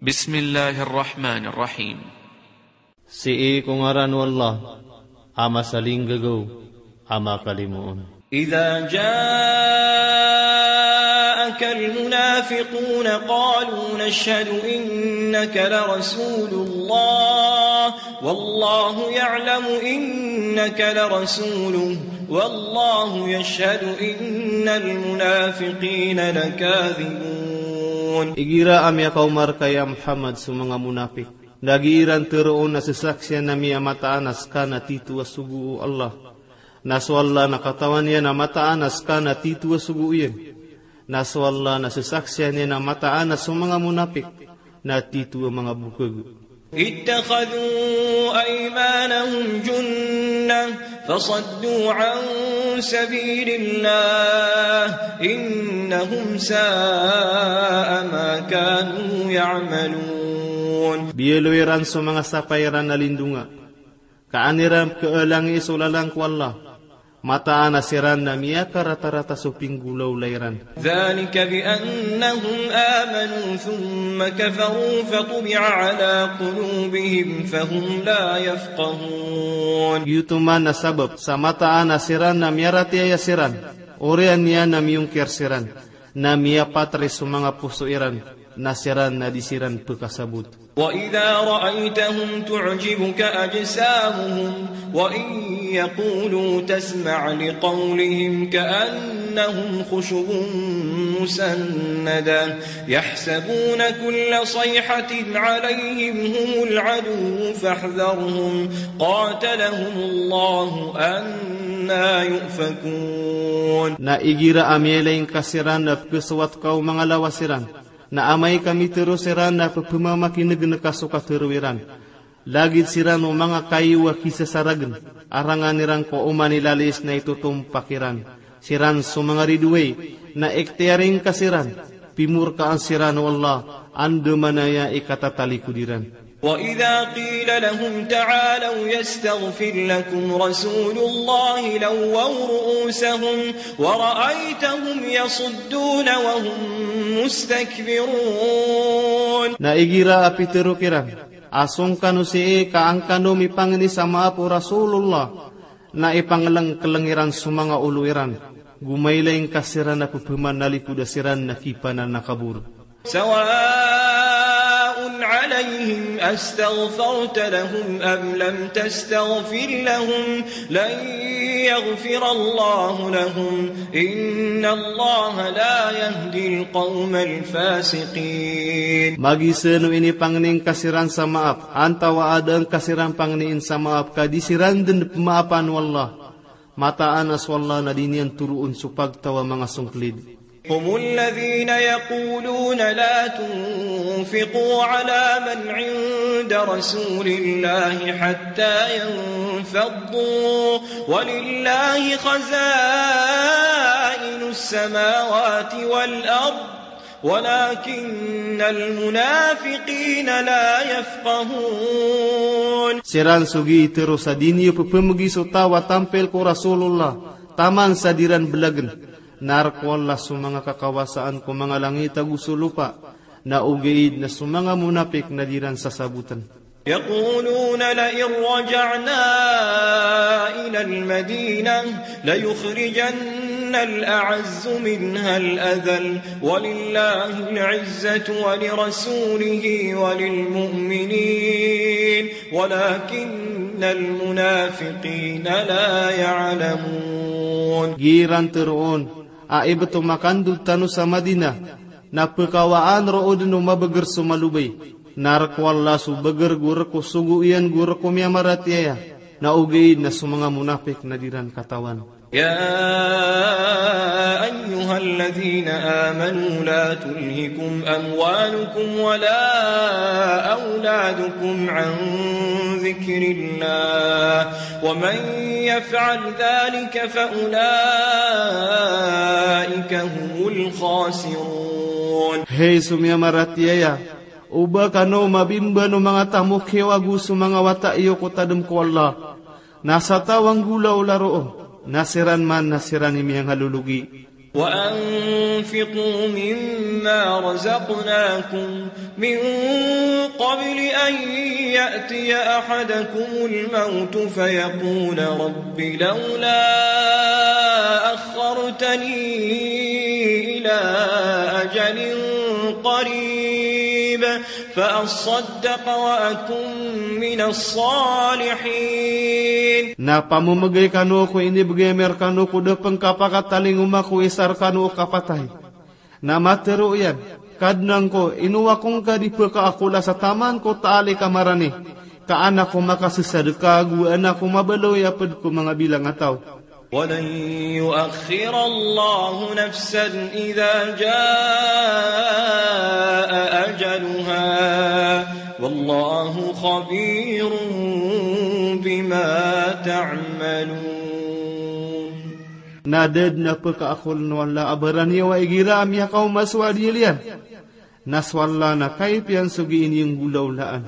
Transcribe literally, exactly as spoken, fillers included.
Bismillahir Rahmanir Rahim. Sii ko ngaran o Allah, a masalinggagaw, a makalimoon. إذا جاءك المنافقون قالوا نشهد إنك لرسول الله والله يعلم إنك لرسوله والله يشهد إن المنافقين لكاذبون. Igira a miyakaoma rka ya Muhammad so manga monapik, na gii ran teroon a sesaksian ami a mataan a seka na tito a sogo o Allah, na so Allah na katawan iyan a mataan a seka na tito a sogo iyan. Na so Allah na sesaksian iyan a mataan a so manga monapik na tito a manga bokag. اتخذوا أيمانهم جنة فصدوا عن سبيل الله إنهم ساء ما كانوا يعملون. Biyaloy iran so manga sapay iran a lindonga, ka an iran keelangi so lalan ko Allah. Mataan a siran na miyakaratarata so pinggolawla iran. ذلك بأنهم آمنوا ثم كفروا فطبع على قلوبهم فهم لا يفقهون. Giyoto man a sabap sa mataan a siran na miyaratiyaya siran, oriyan iyan na miyongkir siran, na miyapatri so manga poso iran, na siran na di siran pekasabot. وإذا رأيتهم تعجبك أجسامهم وإن يقولوا تسمع لقولهم كأنهم خشب مسندة يحسبون كل صيحة عليهم هم العدو فاحذرهم قاتلهم الله أنى يؤفكون. Na igira a miyailay ngka siran na pekesowat ka o manga lawas iran, na amay ka mitero siran na pepemamakinegen ka so katero iran. Lagid siran o manga kayo a kisasaragen, a rangan iran ko oman i lalis na itotompak iran. Siran so manga ridoay, na ikhtiyari ngka siran, pimorkaan siran o Allah, andamanaya i katatalikod iran. وإذا قيل لهم تعالوا يستغفر لكم رسول الله لووا رؤوسهم ورأيتهم يصدون وهم مستكبرون. Na igira a pitero kiran a song kano sii ka an kano mipangni sa maap o Rasulullah, na ipangelengkeleng iran so manga olo iran, go mailay ngka siran a pepemanalikod a siran na kipananakabor. سواء عليهم أستغفرت لهم أم لم تستغفر لهم لن يغفر الله لهم إن الله لا يهدي القوم الفاسقين. Magisen o inipangni ngka siran sa maap, antaa a da ngka siran pangniin sa maap ka di siran den pemaapan o Allah. Mataan a so Allah na di niyan toroon so pagtaw a manga songklid. هم الذين يقولون لا تنفقوا على من عند رسول الله حتى ينفضوا ولله خزائن السماوات والأرض ولكن المنافقين لا يفقهون. Siran so gii tero sa di niyo pepemegi so taw a tampil ko Rasulullah taman sa di ran belagen. Na rk o Allah so manga kakawasaan ko manga langit ago so lopa, na ogaid na so manga monapik na di ran sasaboten. يقولون لئن رجعنا إلى المدينة ليخرجن الأعز منها الأذل ولله العزة ولرسوله وللمؤمنين ولكن المنافقين لا يعلمون. Gii ran teroon a ibt o makandod tano sa Madinah, na pekawaan roo den o mabeger so malobay. Na rk o Allah so beger go rk o sogo iyan go rk o miyamaratiyaya, na ogaid na so manga monapik na di ran katawan. يا أيها الذين آمنوا لا تلهكم أموالكم ولا أولادكم عن ذكر الله ومن يفعل ذلك فأولئك هم الخاسرون. Hay so miyamaratiyaya, oba kano mabimban o manga tamok iyo ago so manga wata iyo ko tadem ko Allah. Na sa taw a nggolawla roo, na siran man na siran i miyangalologi. وأنفقوا مما رزقناكم من قبل أن يأتي أحدكم الموت فيقول رب لولا أخرتني إلى أجل قريب فأصدق وأكن من الصالحين. Na pamomegay kano ko inibegay ami rekano ko da pen kapakatalingoma ko isa rekano o kapatay. Na matero iyan, Kadnan ko, ino ako ngka di pekaakol a sa taman ko taali ka marani, ka an ako makasesadeka ago an ako mabaloy a ped ko manga bilang a taw. ولن يؤخر الله نفسا إذا جاء أجلها والله خبير بما تعملون. Na da den a pekaakolen o Allah a baraniyawa igira a miyakaoma so adiyel iyan. Na so Allah na kaipiya niyan so gii niyan golawlaan.